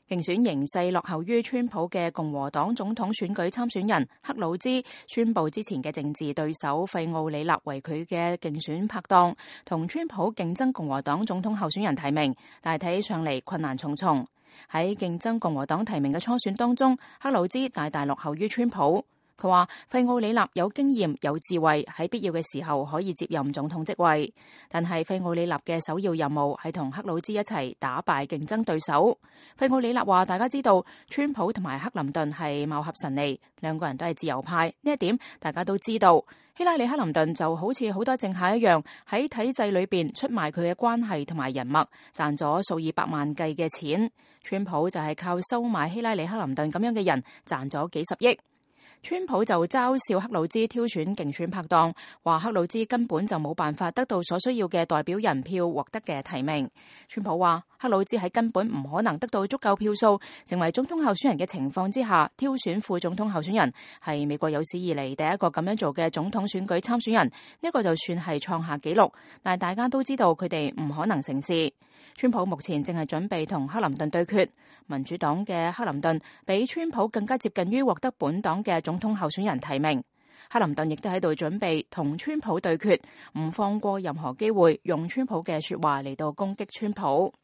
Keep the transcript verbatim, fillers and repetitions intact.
競選形勢落後於川普嘅共和黨總統選舉參選人克魯茲宣布之前嘅政治對手費奧里納為佢嘅競選拍檔，同川普競爭共和黨總統候選人提名，但係睇起上嚟困難重重。喺競爭共和黨提名嘅初選當中，克魯茲大大落後於川普。佢話費奧里納有經驗有智慧，喺必要嘅時候可以接任總統職位，但係費奧里納嘅首要任務係同克魯茲一齊打敗競爭對手。費奧里納話大家知道川普同埋克林頓係貌合神離，兩個人都係自由派，呢一點大家都知道。希拉里克林頓就好似好多政客一樣，喺體制裏邊出賣佢嘅關係同埋人脈，賺咗數以百萬計嘅錢。川普就係靠收買希拉里克林頓咁樣嘅人賺咗幾十億。川普就嘲笑克魯茲挑選競選拍檔，話克魯茲根本就冇辦法得到所需要嘅代表人票獲得嘅提名。川普話克魯茲喺根本唔可能得到足夠票數成為總統候選人嘅情況之下挑選副總統候選人，係美國有史以嚟第一個咁樣做嘅總統選舉參選人，呢個就算係創下紀錄，但係大家都知道佢哋唔可能成事。川普目前正係準備同克林頓對決，民主黨嘅克林頓比川普更加接近於獲得本黨嘅總統候選人提名。克林頓亦都喺度準備同川普對決，唔放過任何機會用川普嘅說話嚟到攻擊川普。